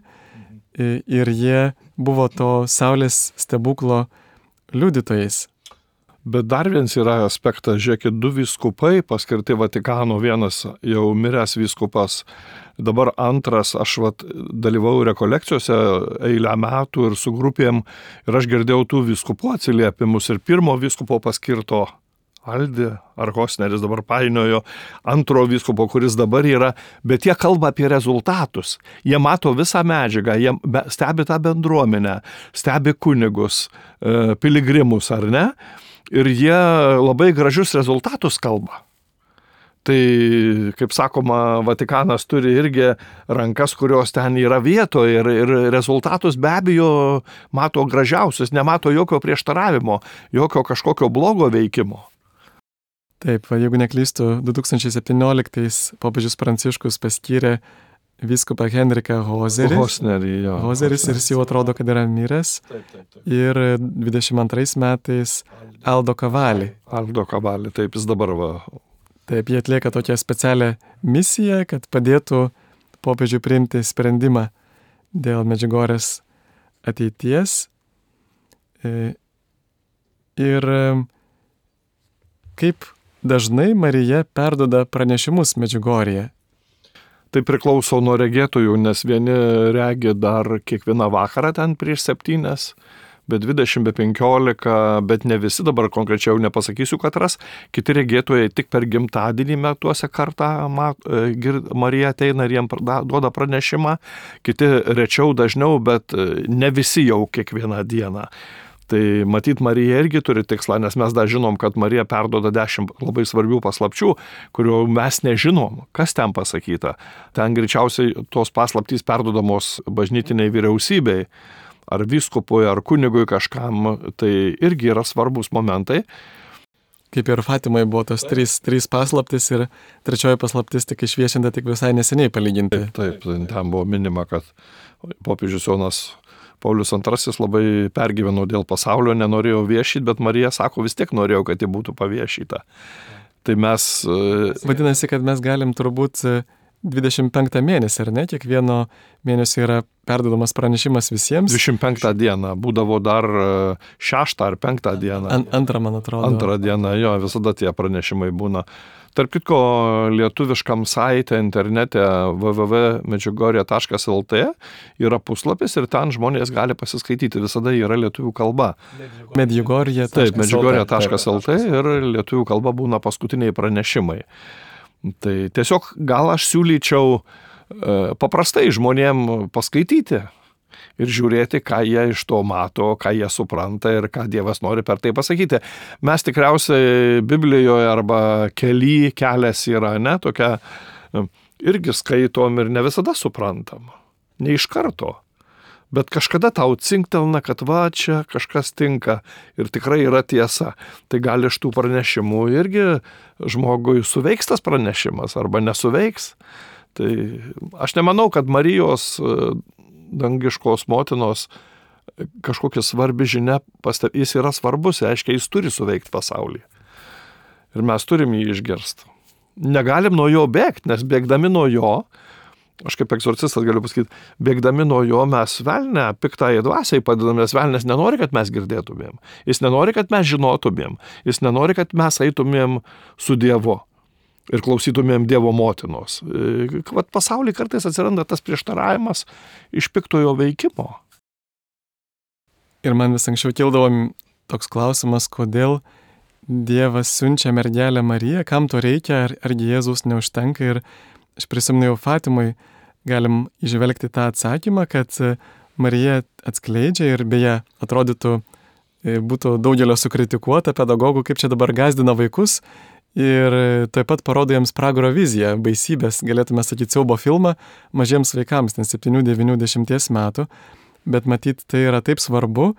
Speaker 1: ir jie buvo to saulės stebuklo liudytojais.
Speaker 2: Bet dar vienas yra aspektas, žiūrėkit, 2 vyskupai paskirti Vatikano, vienas jau miręs vyskupas, dabar antras, aš dalyvau rekolekcijose eilę metų ir su grupėm ir aš girdėjau tų vyskupų atsiliepimus ir pirmo vyskupo paskirto Aldi ar Hosneris dabar painiojo, antro vyskupo, kuris dabar yra, bet jie kalba apie rezultatus. Jie mato visą medžiagą, jie stebi tą bendruomenę, stebi kunigus, piligrimus, ar ne? Ir jie labai gražius rezultatus kalba. Tai, kaip sakoma, Vatikanas turi irgi rankas, kurios ten yra vietoje ir rezultatus be abejo mato gražiausius, nemato jokio prieštaravimo, jokio kažkokio blogo veikimo.
Speaker 1: Taip, jeigu neklystu, 2017 popiežius Pranciškus paskyrė vyskupą Henriką Hozerį. Hozeris ir jis jau atrodo, kad yra miręs. Taip. Ir 22 metais Aldo Cavalli.
Speaker 2: Taip, jis dabar va.
Speaker 1: Taip, jie atlieka tokią specialią misiją, kad padėtų popiežiui priimti sprendimą dėl Medžiugorės ateities. Ir kaip dažnai Marija perduoda pranešimus Medžiugorėje?
Speaker 2: Tai priklauso nuo regėtojų, nes vieni regi dar kiekvieną vakarą ten prieš 7, be 20, be 15, bet ne visi, dabar konkrečiau nepasakysiu katras, kiti regėtojai tik per gimtadienį metuose kartą Marija ateina ir jiem duoda pranešimą, kiti rečiau dažniau, bet ne visi jau kiekvieną dieną. Tai matyt, Marija irgi turi tikslą, nes mes dar žinom, kad Marija perduoda 10 labai svarbių paslapčių, kurių mes nežinom, kas ten pasakyta. Ten greičiausiai tos paslaptys perduodamos bažnytiniai vyriausybei, ar vyskupui, ar kunigui kažkam, tai irgi yra svarbus momentai.
Speaker 1: Kaip ir Fatimai buvo tos 3 paslaptys ir 3 paslaptis tik išviešinta tik visai neseniai palyginti.
Speaker 2: Taip, ten buvo minima, kad popiežius Jonas Paulius II labai pergyveno dėl pasaulio, nenorėjo viešyti, bet Marija sako, vis tiek norėjau, kad ji būtų paviešyta. Tai mes...
Speaker 1: Vadinasi, kad mes galim turbūt 25 mėnesį, ar ne? Kiekvieno mėnesio yra perduodamas pranešimas visiems.
Speaker 2: 25 dieną, būdavo dar 6 ar 5 dieną.
Speaker 1: Antrą, man atrodo.
Speaker 2: 2 dieną, jo, visada tie pranešimai būna. Tarp kitko, lietuviškam saite internete www.medžiugorje.lt yra puslapis ir ten žmonės gali pasiskaityti, visada yra lietuvių kalba.
Speaker 1: Medžiugorje.lt.
Speaker 2: Taip, Medžiugorje.lt ir lietuvių kalba būna paskutiniai pranešimai. Tai tiesiog gal aš siūlyčiau paprastai žmonėm paskaityti ir žiūrėti, ką jie iš to mato, ką jie supranta ir ką Dievas nori per tai pasakyti. Mes tikriausiai Biblijoje arba kelias yra, ne, tokia, irgi skaitom ir ne visada suprantam. Ne iš karto. Bet kažkada tau cinktelna, kad va, čia kažkas tinka ir tikrai yra tiesa. Tai gali iš tų pranešimų irgi žmogui suveiks tas pranešimas arba nesuveiks. Tai aš nemanau, kad Marijos dangiškos motinos kažkokia svarbi žinia, jis yra svarbus, reiškia, jis turi suveikti pasaulį. Ir mes turim jį išgirsti. Negalim nuo jo bėgti, nes bėgdami nuo jo, aš kaip egzorcistas galiu pasakyti, bėgdami nuo jo mes velnę piktąją dvasiai padedam, nes velnės nenori, kad mes girdėtumėm. Jis nenori, kad mes žinotumėm. Jis nenori, kad mes eitumėm su Dievu ir klausytumėm Dievo motinos. Vat pasaulyje kartais atsiranda tas prieštaravimas iš piktojo veikimo.
Speaker 1: Ir man vis anksčiau kildavo toks klausimas, kodėl Dievas siunčia mergelę Mariją, kam to reikia, argi Jėzus neužtenka. Ir aš prisimenu jau Fatimai, galim įžvelgti tą atsakymą, kad Marija atskleidžia ir beje atrodytų, būtų daugelio sukritikuota pedagogų, kaip čia dabar gazdina vaikus ir taip pat parodo jiems pragaro viziją, baisybės, galėtume sakyti, siaubo filmą mažiems vaikams, ten 7, 9, 10 metų, bet matyt tai yra taip svarbu,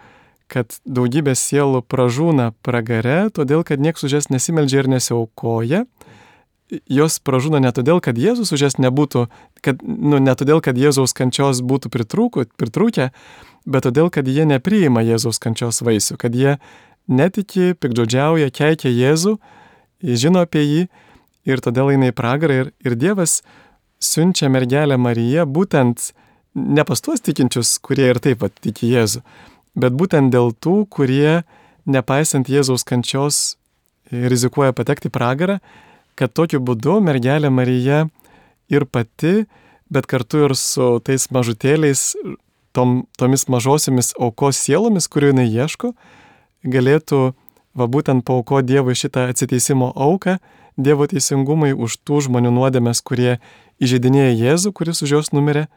Speaker 1: kad daugybė sielų pražūna pragare, todėl, kad niekas už jas nesimeldžia ir nesiaukoja. Jos pražūna ne todėl, kad Jėzus už jas nebūtų, ne todėl, kad Jėzaus kančios būtų pritrūkę, bet todėl, kad jie nepriima Jėzaus kančios vaisių, kad jie netiki, piktžodžiauja, keikia Jėzų, žino apie jį ir todėl eina į pragarą. Ir Dievas siunčia mergelę Mariją būtent ne pas tuos tikinčius, kurie ir taip tiki Jėzų, bet būtent dėl tų, kurie, nepaisant Jėzaus kančios, rizikuoja patekti į pragarą, kad tokiu būdu mergelė Marija ir pati, bet kartu ir su tais mažutėliais, tomis mažosiomis aukos sielomis, kurių jinai ieško, galėtų būtent paaukoti Dievui šitą atsiteisimo auką, Dievo teisingumai už tų žmonių nuodėmes, kurie įžeidinėja Jėzų, kuris už jos numirė,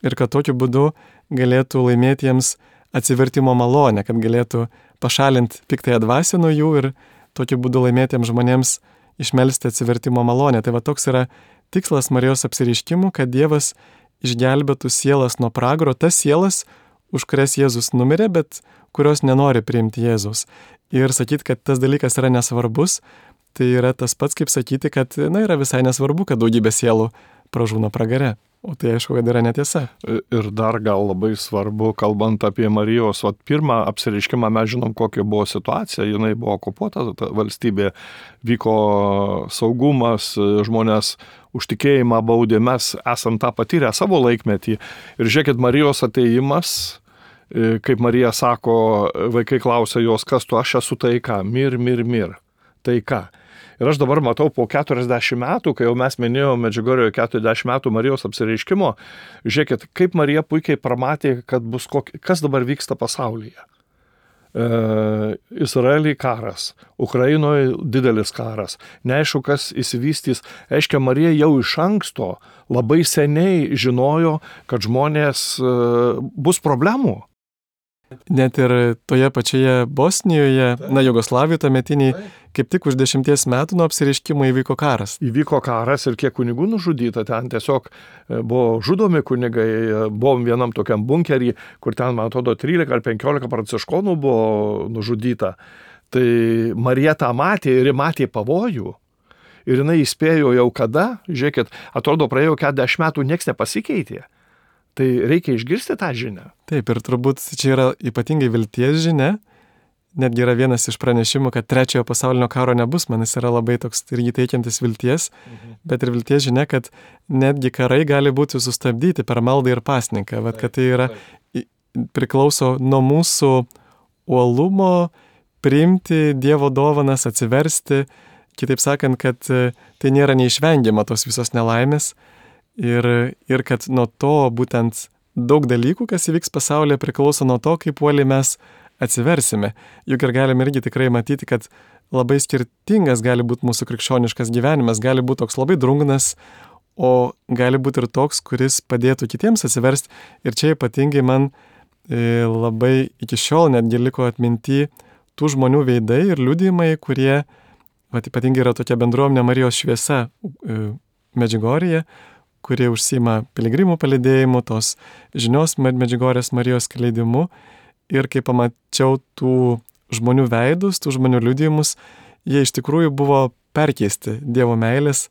Speaker 1: ir kad tokiu būdu galėtų laimėti jiems atsivertimo malonę, kad galėtų pašalinti piktąją dvasią nuo jų ir tokiu būdu laimėtiems žmonėms išmelsti atsivertimo malonę. Tai toks yra tikslas Marijos apsireiškimų, kad Dievas išgelbėtų sielas nuo pragaro, tas sielas, už kurias Jėzus numirė, bet kurios nenori priimti Jėzaus. Ir sakyti, kad tas dalykas yra nesvarbus, tai yra tas pats, kaip sakyti, kad yra visai nesvarbu, kad daugybė sielų pražūna pragare. O tai aišku, kad yra netiesa.
Speaker 2: Ir dar gal labai svarbu, kalbant apie Marijos, pirmą apsireiškimą mes žinom, kokia buvo situacija, jinai buvo okupuota, valstybė, vyko saugumas, žmonės už tikėjimą baudė, mes esam tą patyrę savo laikmetį. Ir žiūrėkit, Marijos ateimas, kaip Marija sako, vaikai klausia jos, kas tu, aš esu taika, mir, taika. Ir aš dabar matau po 40 metų, kai jau mes minėjome Medžiugorjoje 40 metų Marijos apsireiškimo, žiūrėkit, kaip Marija puikiai pramatė, kad kas dabar vyksta pasaulyje. Izraelyje karas, Ukrainoje didelis karas, neaišku, kas įsivystys. Aiškia, Marija jau iš anksto labai seniai žinojo, kad žmonės bus problemų.
Speaker 1: Net ir toje pačioje Bosnijoje, Jugoslavijoje tuometiniai, kaip tik už 10 metų nuo apsireiškimo įvyko karas.
Speaker 2: Įvyko karas ir kiek kunigų nužudyta, ten tiesiog buvo žudomi kunigai, buvom vienam tokiam bunkerį, kur ten, man atrodo, 13 ar 15 pranciškonų buvo nužudyta. Tai Marija tą matė ir matė pavojų. Ir jinai įspėjo jau kada, žiūrėkit, atrodo, praėjo 40 metų, nieks nepasikeitė. Tai reikia išgirsti tą žinią.
Speaker 1: Taip, ir turbūt čia yra ypatingai vilties žinia. Netgi yra vienas iš pranešimų, kad 3 pasaulinio karo nebus, man jis yra labai toks irgi teikiantis vilties, bet ir vilties žinia, kad netgi karai gali būti sustabdyti per maldą ir pasninką, kad tai yra priklauso nuo mūsų uolumo priimti Dievo dovanas, atsiversti, kitaip sakant, kad tai nėra neišvengiama tos visos nelaimės. Ir kad nuo to būtent daug dalykų, kas įvyks pasaulyje, priklauso nuo to, kaip uoliai mes atsiversime. Juk ir galime irgi tikrai matyti, kad labai skirtingas gali būti mūsų krikščioniškas gyvenimas, gali būti toks labai drungnas, o gali būti ir toks, kuris padėtų kitiems atsiversti. Ir čia ypatingai man labai iki šiol netgi liko atminti tų žmonių veidai ir liudijimai, kurie, ypatingai yra tokia bendruomenė Marijos šviesa Medžiugorėje, kurie užsima piligrimų palydėjimu, tos žinios Medžiugorės Marijos skleidimu. Ir kai pamačiau tų žmonių veidus, tų žmonių liudijimus, jie iš tikrųjų buvo perkeisti Dievo meilės,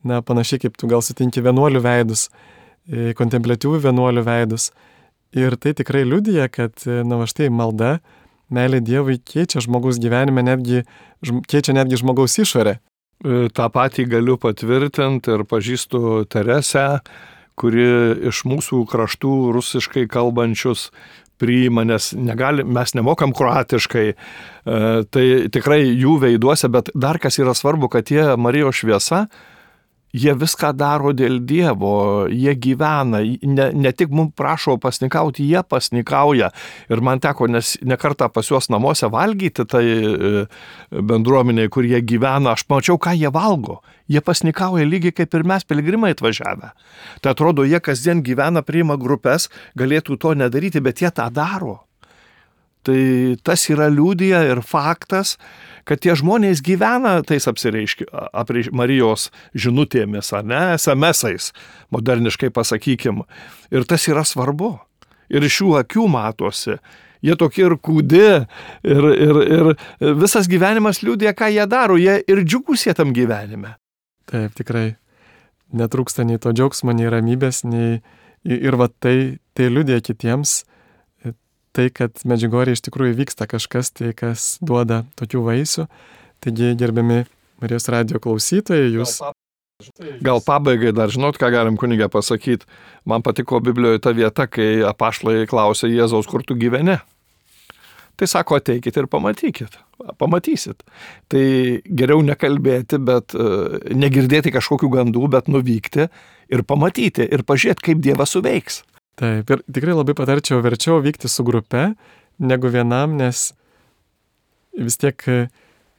Speaker 1: panašiai kaip tu gal sutinki vienuolių veidus, kontempliatyvių vienuolių veidus. Ir tai tikrai liudija, kad, štai malda, meilė Dievui keičia žmogaus gyvenime, keičia netgi žmogaus išorę.
Speaker 2: Ta patį galiu patvirtinti ir pažįstu Teresę, kuri iš mūsų kraštų rusiškai kalbančius priima, nes mes nemokam kroatiškai, tai tikrai jų veiduose, bet dar kas yra svarbu, kad jie Marijos šviesa, jie viską daro dėl Dievo, jie gyvena, ne tik mums prašo pasnikauti, jie pasnikauja. Ir man teko ne kartą pas juos namuose valgyti, tai bendruomeniai, kur jie gyvena, aš mačiau, ką jie valgo. Jie pasnikauja lygiai kaip ir mes piligrimai atvažiavę. Tai atrodo, jie kasdien gyvena, priima grupės, galėtų to nedaryti, bet jie tą daro. Tai tas yra liudija ir faktas, kad tie žmonės gyvena tais Marijos žinutėmis, ar ne, SMS-ais, moderniškai pasakykim. Ir tas yra svarbu. Ir iš jų akių matosi. Jie tokie ir kūdi, ir visas gyvenimas liudija, ką jie daro. Jie ir džiugus jie tam gyvenime.
Speaker 1: Taip, tikrai. Netrūksta nei to džiaugsmo, nei ramybės, ir tai liudija kitiems. Tai, kad Medžiugorėje iš tikrųjų vyksta kažkas, tai kas duoda tokių vaisių. Taigi, gerbiami Marijos radijo klausytojai, jūs...
Speaker 2: Gal pabaigai dar žinot, ką galim kunige pasakyti. Man patiko Biblijoje ta vieta, kai apaštalai klausė Jėzaus, kur tu gyveni. Tai sako, ateikit ir pamatysit. Tai geriau nekalbėti, bet negirdėti kažkokių gandų, bet nuvykti ir pamatyti ir pažiūrėti, kaip Dievas suveiks.
Speaker 1: Taip, ir tikrai labai patarčiau verčiau vykti su grupe, negu vienam, nes vis tiek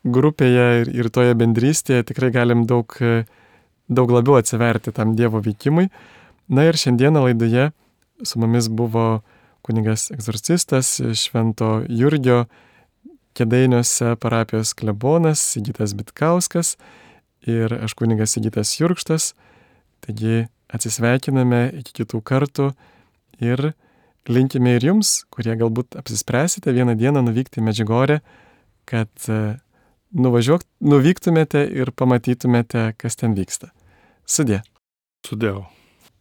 Speaker 1: grupėje ir toje bendrystėje tikrai galim daug labiau atsiverti tam Dievo veikimui. Na ir šiandieną laidoje su mumis buvo kunigas egzorcistas, Švento Jurgio Kėdainiuose parapijos klebonas Sigitas Bitkauskas ir aš kunigas Sigitas Jurkštas. Taigi atsisveikiname iki kitų kartų. Ir linkime ir jums, kurie galbūt apsispręsite vieną dieną nuvykti į Medžiugorę, kad nuvyktumėte ir pamatytumėte, kas ten vyksta. Sudie.
Speaker 2: Sudėjau.